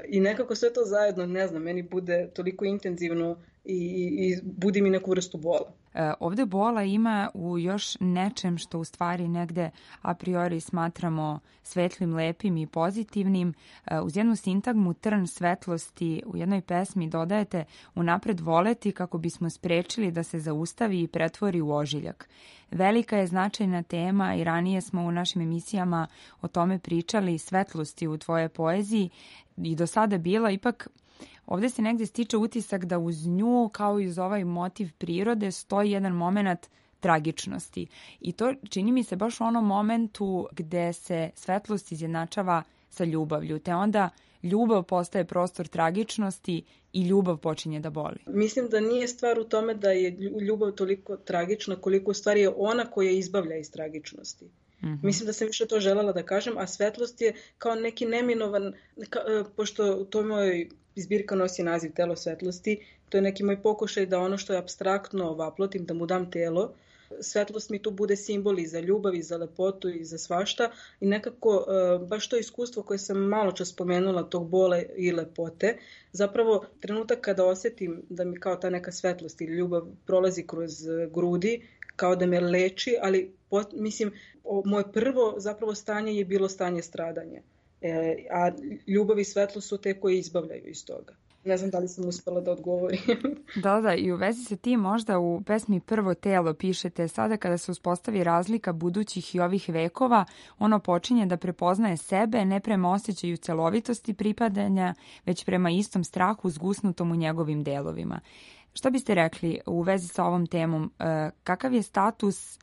i nekako sve to zajedno, ne znam, meni bude toliko intenzivno i, i budi mi neku vrstu bola. E, ovde bola ima u još nečem što u stvari negde a priori smatramo svetlim, lepim i pozitivnim. E, uz jednu sintagmu trn svetlosti u jednoj pesmi dodajete unapred voleti kako bismo sprečili da se zaustavi i pretvori u ožiljak. Velika je značajna tema i ranije smo u našim emisijama o tome pričali, svetlosti u tvojoj poeziji. i do sada bila, ipak ovde se negde stiče utisak da uz nju, kao i uz ovaj motiv prirode, stoji jedan moment tragičnosti. I to čini mi se baš u onom momentu gde se svetlost izjednačava sa ljubavlju, te onda ljubav postaje prostor tragičnosti i ljubav počinje da boli. Mislim da nije stvar u tome da je ljubav toliko tragična koliko u stvari je ona koja izbavlja iz tragičnosti. Mm-hmm. Mislim da sam više to želela da kažem, a svetlost je kao neki neminovan, ka, pošto to moj zbirka nosi naziv Telo svetlosti, to je neki moj pokušaj da ono što je apstraktno vaplotim, da mu dam telo. Svetlost mi tu bude simbol i za ljubav, i za lepotu, i za svašta. I nekako baš to iskustvo koje sam malo čas spomenula, tog bola i lepote, zapravo trenutak kada osjetim da mi kao ta neka svetlost ili ljubav prolazi kroz grudi, kao da me leči, ali pot, mislim, o, moje prvo zapravo stanje je bilo stanje stradanja. E, a ljubav i svetlost su te koje izbavljaju iz toga. Ne znam da li sam uspela da odgovorim. Da, da, i u vezi sa tim možda u pesmi Prvo telo pišete: sada kada se uspostavi razlika budućih i ovih vekova, ono počinje da prepoznaje sebe ne prema osjećaju celovitosti pripadanja, već prema istom strahu zgusnutom u njegovim delovima. Šta biste rekli u vezi sa ovom temom? Kakav je status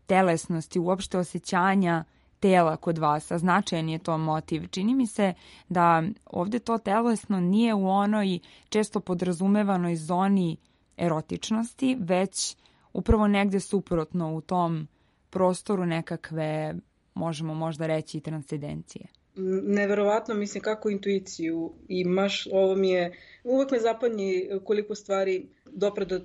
telesnosti, uopšte osjećanja tela kod vas, a značajan je to motiv? Čini mi se da ovde to telesno nije u onoj često podrazumevanoj zoni erotičnosti, već upravo negde suprotno u tom prostoru nekakve, možemo možda reći, transcendencije. Neverovatno, mislim, kako intuiciju imaš, ovo mi je, uvek me zapanji koliko stvari dopre do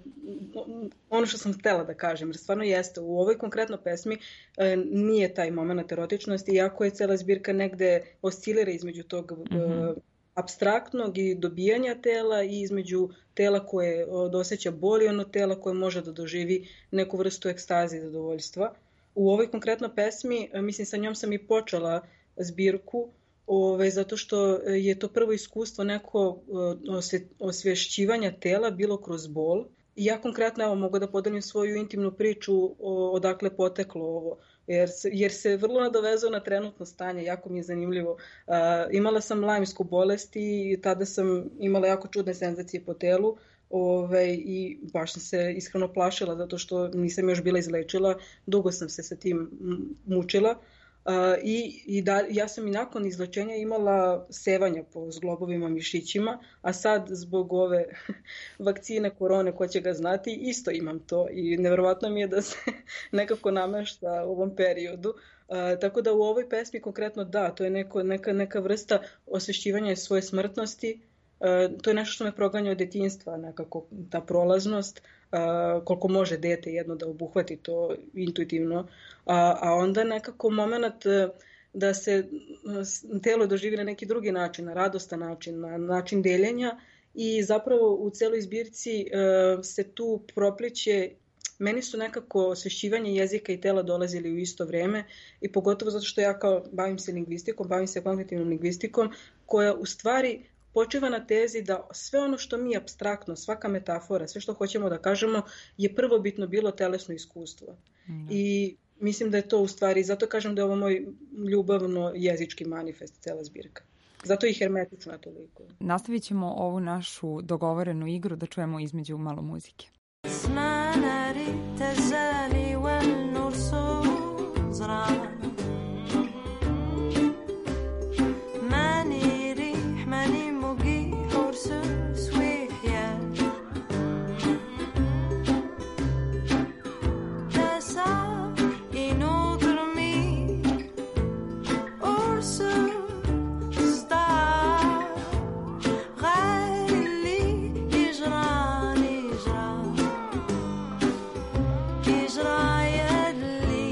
ono što sam htela da kažem, jer stvarno jeste, u ovoj konkretno pesmi e, nije taj moment erotičnosti, iako je cela zbirka negde oscilira između tog mm-hmm. e, apstraktnog i dobijanja tela i između tela koje osjeća bol i ono tela koje može da doživi neku vrstu ekstaze i zadovoljstva. U ovoj konkretno pesmi, mislim, sa njom sam i počela zbirku, ove, zato što je to prvo iskustvo neko osve, osvješćivanja tela bilo kroz bol. I ja konkretno evo, mogu da podelim svoju intimnu priču o, odakle poteklo ovo, jer se, jer se vrlo nadovezao na trenutno stanje, jako mi je zanimljivo. Uh, imala sam lajmsku bolest i tada sam imala jako čudne senzacije po telu. Ove, i baš sam se iskreno plašila zato što nisam još bila izlečila, dugo sam se sa tim mučila. Uh, i, i da, ja sam i nakon izlečenja imala sevanja po zglobovima, mišićima, a sad zbog ove vakcine korone, ko će ga znati, isto imam to i nevjerovatno mi je da se nekako namešta u ovom periodu. Uh, tako da u ovoj pesmi konkretno da, to je neko, neka, neka vrsta osvješćivanja svoje smrtnosti. Uh, to je nešto što me proganja od detinjstva, nekako ta prolaznost, uh, koliko može dete jedno da obuhvati to intuitivno, uh, a onda nekako moment uh, da se uh, telo doživi na neki drugi način, na radostan način, na način deljenja i zapravo u celoj zbirci uh, se tu propliće. Meni su nekako osvješćivanje jezika i tela dolazili u isto vreme i pogotovo zato što ja kao bavim se lingvistikom, bavim se kognitivnom lingvistikom koja u stvari počeva na tezi da sve ono što mi apstraktno, svaka metafora, sve što hoćemo da kažemo je prvobitno bilo telesno iskustvo. Mm. I mislim da je to u stvari, zato kažem da je ovo moj ljubavno jezički manifest, cela zbirka. Zato je i hermetična toliko. Nastavit ćemo ovu našu dogovorenu igru da čujemo između malo muzike. إجرى يدلي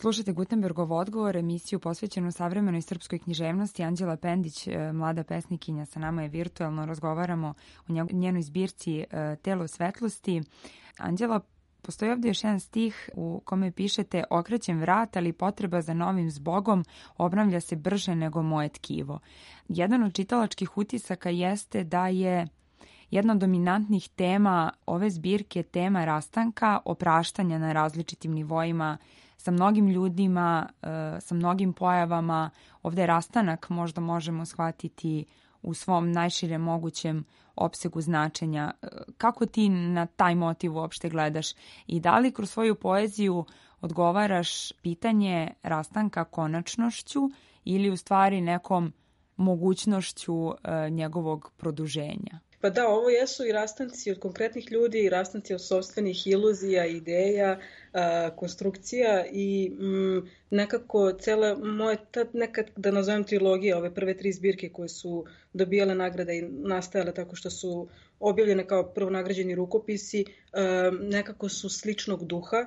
Slušajte Gutenbergov odgovor, emisiju posvećenu savremenoj srpskoj književnosti. Anđela Pendić, mlada pesnikinja, sa nama je virtualno, razgovaramo o njenoj zbirci Telo svetlosti. Anđela, postoji ovdje još jedan stih u kome pišete: okrećem vrat, ali potreba za novim zbogom obnavlja se brže nego moje tkivo. Jedan od čitalačkih utisaka jeste da je jedna od dominantnih tema ove zbirke tema rastanka, opraštanja na različitim nivoima, sa mnogim ljudima, sa mnogim pojavama. Ovdje rastanak možda možemo shvatiti u svom najširem mogućem opsegu značenja. Kako ti na taj motiv uopšte gledaš i da li kroz svoju poeziju odgovaraš pitanje rastanka konačnošću ili u stvari nekom mogućnošću njegovog produženja? Pa da, ovo jesu i rastanci od konkretnih ljudi, i rastanci od sopstvenih iluzija, ideja, a, konstrukcija i m, nekako cela moja, tad nekad da nazovem trilogija, ove prve tri zbirke koje su dobijale nagrade i nastajale tako što su objavljene kao prvonagrađeni rukopisi, a, nekako su sličnog duha,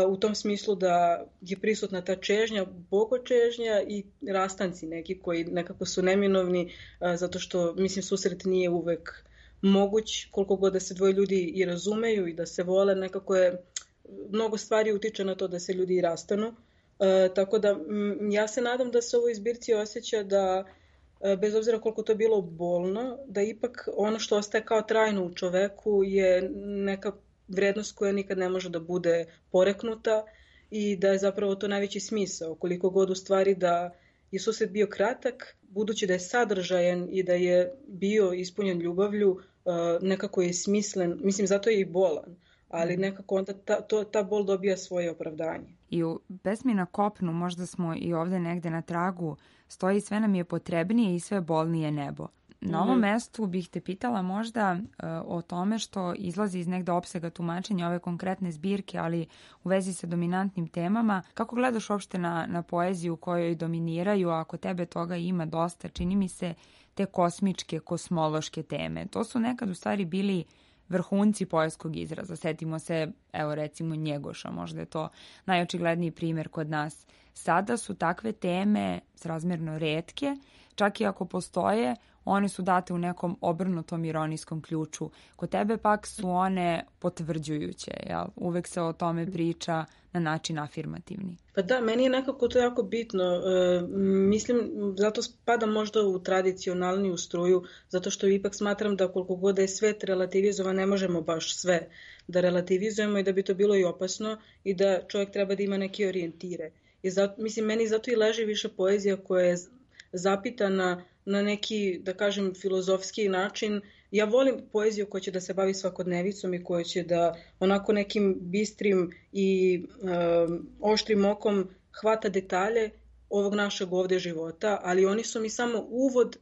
u tom smislu da je prisutna ta čežnja, bogočežnja i rastanci neki koji nekako su neminovni, zato što, mislim, susret nije uvek moguć, koliko god da se dvoje ljudi i razumeju i da se vole, nekako je, mnogo stvari utiče na to da se ljudi i rastanu. Tako da ja se nadam da se u ovoj zbirci osjeća da, bez obzira koliko to bilo bolno, da ipak ono što ostaje kao trajno u čoveku je neka vrednost koja nikad ne može da bude poreknuta i da je zapravo to najveći smisao. Koliko god u stvari da je susret bio kratak, budući da je sadržajan i da je bio ispunjen ljubavlju, nekako je smislen, mislim zato je i bolan, ali nekako onda ta, to, ta bol dobija svoje opravdanje. I u pesmi Na kopnu, možda smo i ovdje negde na tragu, stoji sve nam je potrebnije i sve bolnije nebo. Na ovom mestu bih te pitala možda uh, o tome što izlazi iz negde opsega tumačenja ove konkretne zbirke, ali u vezi sa dominantnim temama. Kako gledaš uopšte na, na poeziju kojoj dominiraju, a ako tebe toga ima dosta, čini mi se, te kosmičke, kosmološke teme? To su nekad u stvari bili vrhunci poetskog izraza. Setimo se, evo recimo Njegoša, možda je to najočigledniji primjer kod nas. Sada su takve teme srazmjerno retke, čak i ako postoje, one su date u nekom obrnutom ironijskom ključu. Kod tebe pak su one potvrđujuće, jel? Uvek se o tome priča na način afirmativni. Pa da, meni je nekako to jako bitno. E, mislim, zato spadam možda u tradicionalniju struju, zato što ipak smatram da koliko god je svet relativizovan, ne možemo baš sve da relativizujemo i da bi to bilo i opasno i da čovjek treba da ima neke orijentire. I zato, mislim, meni zato i leži više poezija koja je zapitana na neki, da kažem, filozofski način. Ja volim poeziju koja će da se bavi svakodnevicom i koja će da onako nekim bistrim i um, oštrim okom hvata detalje ovog našeg ovdje života, ali oni su mi samo uvod,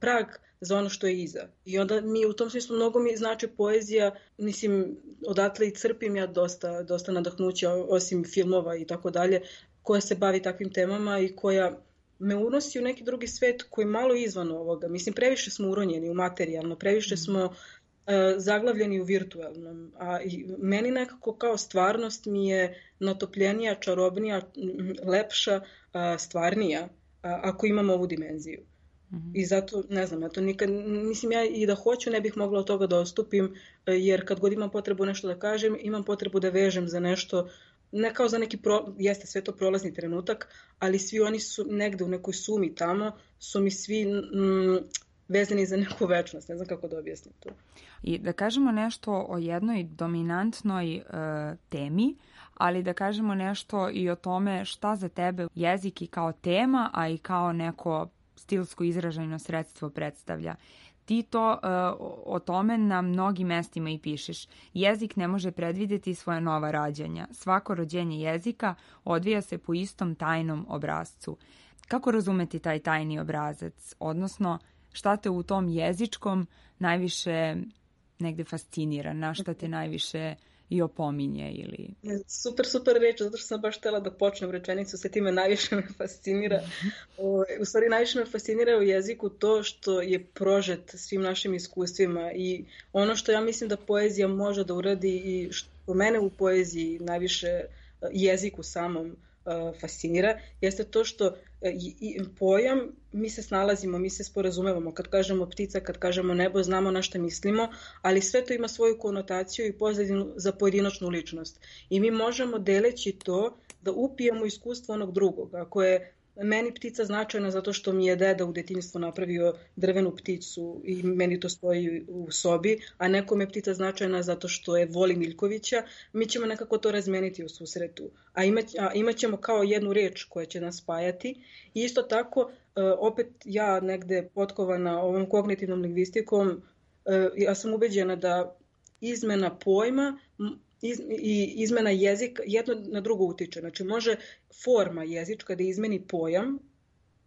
prag za ono što je iza. I onda mi u tom smislu mnogo mi znači poezija, mislim, odatle i crpim ja dosta, dosta nadahnuća, osim filmova i tako dalje, koja se bavi takvim temama i koja me unosi u neki drugi svet koji malo izvan ovoga. Mislim, previše smo uronjeni u materijalno, previše smo uh, zaglavljeni u virtualnom. A i meni nekako kao stvarnost mi je natopljenija, čarobnija, lepša, uh, stvarnija, uh, ako imamo ovu dimenziju. Mm-hmm. I zato, ne znam, ja to nikad, mislim, ja i da hoću ne bih mogla od toga da odstupim, jer kad god imam potrebu nešto da kažem, imam potrebu da vežem za nešto, ne kao za neki, pro, jeste sve to prolazni trenutak, ali svi oni su negde u nekoj sumi tamo, su mi svi mm, vezani za neku večnost, ne znam kako da objasnim to. I da kažemo nešto o jednoj dominantnoj e, temi, ali da kažemo nešto i o tome šta za tebe jezik i kao tema, a i kao neko stilsko izražajno sredstvo predstavlja. Ti to uh, o tome na mnogim mestima i pišeš. Jezik ne može predvidjeti svoja nova rađanja. Svako rođenje jezika odvija se po istom tajnom obrazcu. Kako razumeti taj tajni obrazac? Odnosno, šta te u tom jezičkom najviše negde fascinira? Na šta te najviše i opominje ili... Super, super reč, zato što sam baš htjela da počnem rečenicu, se time najviše me fascinira. O, u stvari najviše me fascinira u jeziku to što je prožet svim našim iskustvima i ono što ja mislim da poezija može da uradi i što mene u poeziji najviše jeziku samom fascinira, jeste to što i pojam, mi se snalazimo, mi se sporazumevamo. Kad kažemo ptica, kad kažemo nebo, znamo na što mislimo, ali sve to ima svoju konotaciju i pozadinu za pojedinačnu ličnost. I mi možemo, deleći to, da upijemo iskustvo onog drugog. Ako je meni ptica značajna zato što mi je deda u detinjstvu napravio drvenu pticu i meni to stoji u sobi, a nekome je ptica značajna zato što je voli Miljkovića, mi ćemo nekako to razmeniti u susretu. A imat, a imat ćemo kao jednu reč koja će nas spajati. I isto tako, opet ja negde potkovana ovom kognitivnom lingvistikom, ja sam ubeđena da izmena pojma Iz, i izmena jezika jedno na drugo utiče. Znači, može forma jezička da izmeni pojam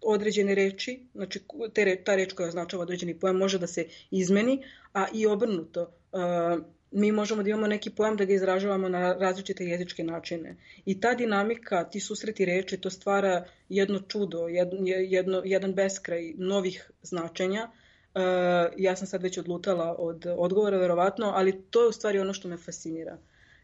određene reči, znači te, ta reč koja označava određeni pojam može da se izmeni, a i obrnuto. Uh, mi možemo da imamo neki pojam da ga izražavamo na različite jezičke načine. I ta dinamika, ti susreti reči, to stvara jedno čudo, jedno, jedno, jedan beskraj novih značenja. Uh, ja sam sad već odlutala od odgovora, verovatno, ali to je u stvari ono što me fascinira.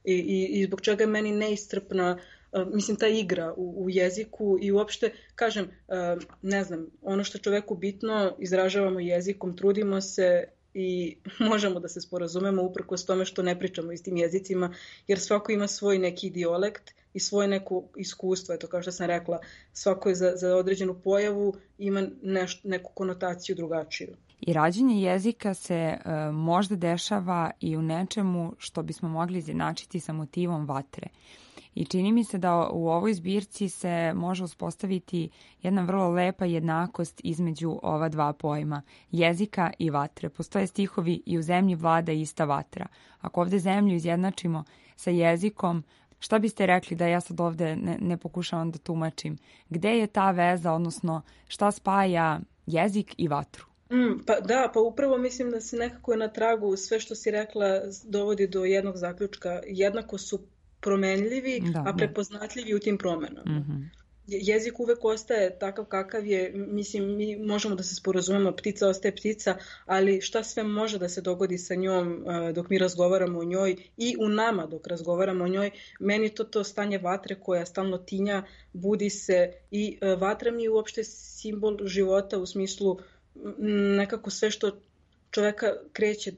I, i, i zbog čega je meni neiscrpna, uh, mislim, ta igra u, u jeziku i uopšte, kažem, uh, ne znam, ono što je čoveku bitno, izražavamo jezikom, trudimo se i možemo da se sporazumemo uprkos tome što ne pričamo istim jezicima, jer svako ima svoj neki dijalekt i svoje neko iskustvo, eto kao što sam rekla, svako je za, za određenu pojavu ima neš, neku konotaciju drugačiju. I rađenje jezika se e, možda dešava i u nečemu što bismo mogli izjednačiti sa motivom vatre. I čini mi se da u ovoj zbirci se može uspostaviti jedna vrlo lepa jednakost između ova dva pojma, jezika i vatre. Postoje stihovi i u zemlji vlada ista vatra. Ako ovde zemlju izjednačimo sa jezikom, šta biste rekli da ja sad ovde ne, ne pokušavam da tumačim? Gde je ta veza, odnosno šta spaja jezik i vatru? Mm, pa da, pa upravo mislim da se nekako je na tragu sve što si rekla dovodi do jednog zaključka. Jednako su promenljivi, da, a prepoznatljivi da. U tim promenama. Mm-hmm. Jezik uvek ostaje takav kakav je, mislim, mi možemo da se sporazumemo, ptica ostaje ptica, ali šta sve može da se dogodi sa njom dok mi razgovaramo o njoj i u nama dok razgovaramo o njoj, meni to to stanje vatre koja stalno tinja, budi se i vatra mi je uopšte simbol života u smislu nekako sve što čoveka kreće,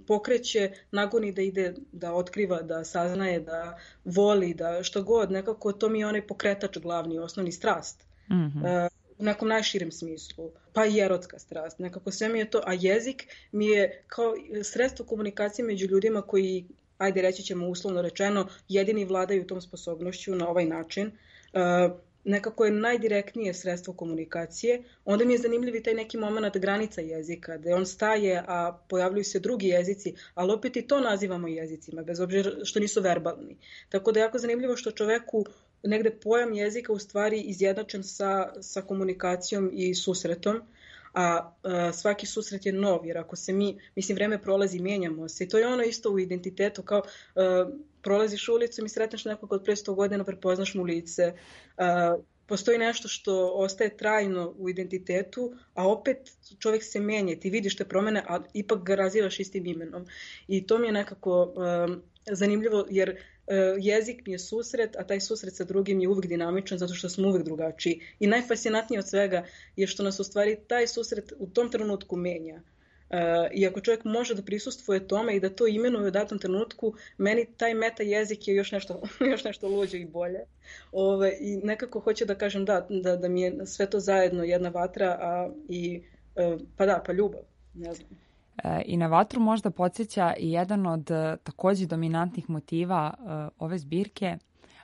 pokreće, nagoni da ide, da otkriva, da saznaje, da voli, da što god, nekako to mi je onaj pokretač glavni, osnovni strast. Mm-hmm. Uh, u nekom najširem smislu, pa i erotska strast, nekako sve mi je to, a jezik mi je kao sredstvo komunikacije među ljudima koji, ajde reći ćemo uslovno rečeno, jedini vladaju tom sposobnošću na ovaj način. Uh, nekako je najdirektnije sredstvo komunikacije, onda mi je zanimljiv i taj neki moment granica jezika, da on staje, a pojavljuju se drugi jezici, ali opet i to nazivamo jezicima, bez obzira što nisu verbalni. Tako da je jako zanimljivo što čoveku negde pojam jezika u stvari izjednačen sa, sa komunikacijom i susretom, a, a svaki susret je nov, jer ako se mi, mislim, vreme prolazi, mijenjamo se i to je ono isto u identitetu, kao a, prolaziš ulicom i sretneš nekog od pre sto godina, prepoznaš mu lice, a, postoji nešto što ostaje trajno u identitetu, a opet čovjek se menja, ti vidiš te promene, a ipak ga razivaš istim imenom. I to mi je nekako a, zanimljivo, jer jezik mi je susret, a taj susret sa drugim je uvijek dinamičan zato što smo uvijek drugačiji. I najfascinantnije od svega je što nas u stvari taj susret u tom trenutku menja. Uh, I ako čovjek može da prisustvuje tome i da to imenuje u datom trenutku, meni taj meta jezik je još nešto, još nešto luđe i bolje. Ove, I nekako hoću da kažem da, da, da mi je sve to zajedno jedna vatra, a i uh, pa da, pa ljubav, ne znam. I na vatru možda podsjeća i jedan od takođe dominantnih motiva ove zbirke,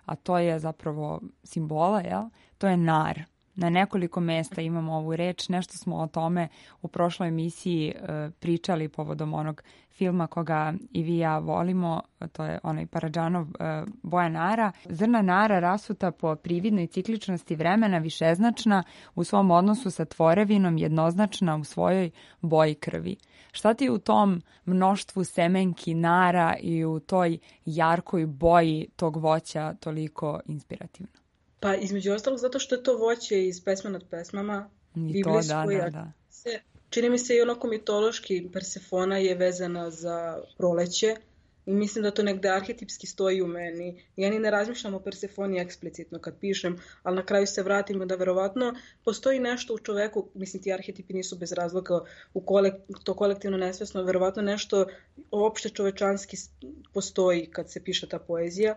a to je zapravo simbola, jel? To je nar. Na nekoliko mesta imamo ovu reč, nešto smo o tome u prošloj emisiji pričali povodom onog filma koga i vi ja volimo, to je onaj Paradžanov Boja nara. Zrna nara rasuta po prividnoj cikličnosti vremena, višeznačna u svom odnosu sa tvorevinom, jednoznačna u svojoj boji krvi. Šta ti u tom mnoštvu semenki nara i u toj jarkoj boji tog voća toliko inspirativno? Pa između ostalog zato što je to voće iz Pesme nad pesmama, I to, da, da, da. Se, čini mi se i onako mitološki Persefona je vezana za proleće I mislim da to negde arhetipski stoji u meni. Ja ni ne razmišljam o Persefoni eksplicitno kad pišem, ali na kraju se vratimo da verovatno postoji nešto u čoveku, mislim ti arhetipi nisu bez razloga u kolek, to kolektivno nesvesno, verovatno nešto opšte čovečanski postoji kad se piše ta poezija.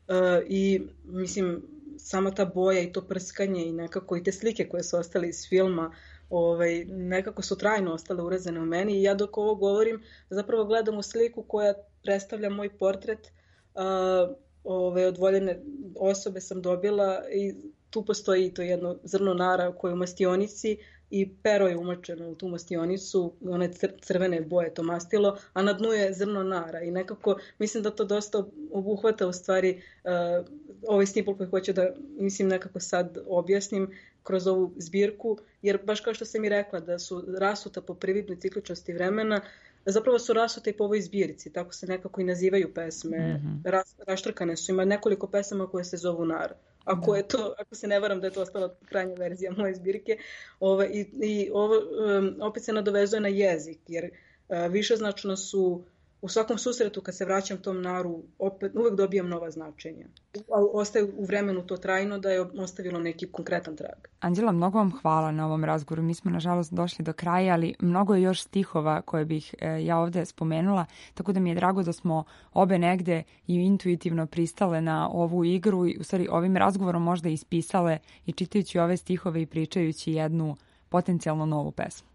Uh, I mislim sama ta boja i to prskanje i nekako i te slike koje su ostale iz filma, ovaj, nekako su trajno ostale urezane u meni i ja dok ovo govorim zapravo gledam u sliku koja predstavlja moj portret, uh, ove, od voljene osobe sam dobila i tu postoji to jedno zrno nara koje je u mastionici i pero je umočeno u tu mastionicu, one crvene boje to mastilo, a na dnu je zrno nara i nekako mislim da to dosta obuhvata u stvari uh, ovaj snipol koji hoću da mislim nekako sad objasnim kroz ovu zbirku, jer baš kao što sam i rekla da su rasuta po prividnoj cikličnosti vremena, zapravo su rasute i po ovoj zbirci, tako se nekako i nazivaju pesme, mm-hmm. Ras, raštrkane su, ima nekoliko pesama koje se zovu Nar. Ako, je to, ako se ne varam da je to ostala krajnja verzija moje zbirke, ove, i, i ovo um, opet se nadovezuje na jezik, jer uh, višeznačno su u svakom susretu kad se vraćam tom naru, opet uvek dobijam nova značenja. Ostaje u vremenu to trajno da je ostavilo neki konkretan trag. Anđela, mnogo vam hvala na ovom razgovoru. Mi smo nažalost došli do kraja, ali mnogo je još stihova koje bih e, ja ovde spomenula, tako da mi je drago da smo obe negde i intuitivno pristale na ovu igru i u stvari ovim razgovorom možda ispisale i čitajući ove stihove i pričajući jednu potencijalno novu pesmu.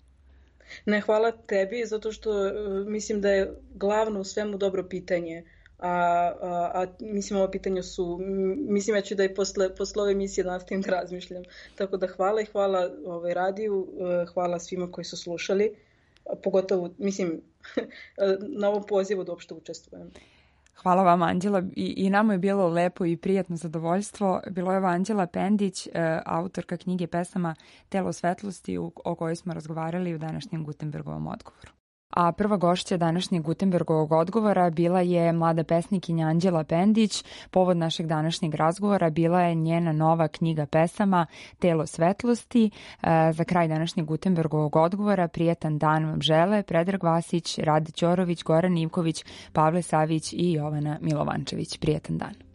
Ne, hvala tebi, zato što uh, mislim da je glavno u svemu dobro pitanje, a, a, a mislim ovo pitanje su, mislim ja ću da i posle, posle ove emisije nastavim da razmišljam, tako da hvala i hvala ovaj, radiju, uh, hvala svima koji su slušali, pogotovo, mislim, na ovom pozivu da uopšte učestvujem. Hvala vam, Anđela. I, I nama je bilo lepo i prijatno zadovoljstvo. Bilo je ova Anđela Pendić, autorka knjige pesama Telo svetlosti, o kojoj smo razgovarali u današnjem Gutenbergovom odgovoru. A prva gošća današnjeg Gutenbergovog odgovora bila je mlada pesnikinja Anđela Pendić. Povod našeg današnjeg razgovora bila je njena nova knjiga pesama Telo svetlosti. Za kraj današnjeg Gutenbergovog odgovora prijatan dan vam žele Predrag Vasić, Rade Ćorović, Goran Ivković, Pavle Savić i Jovana Milovančević. Prijatan dan.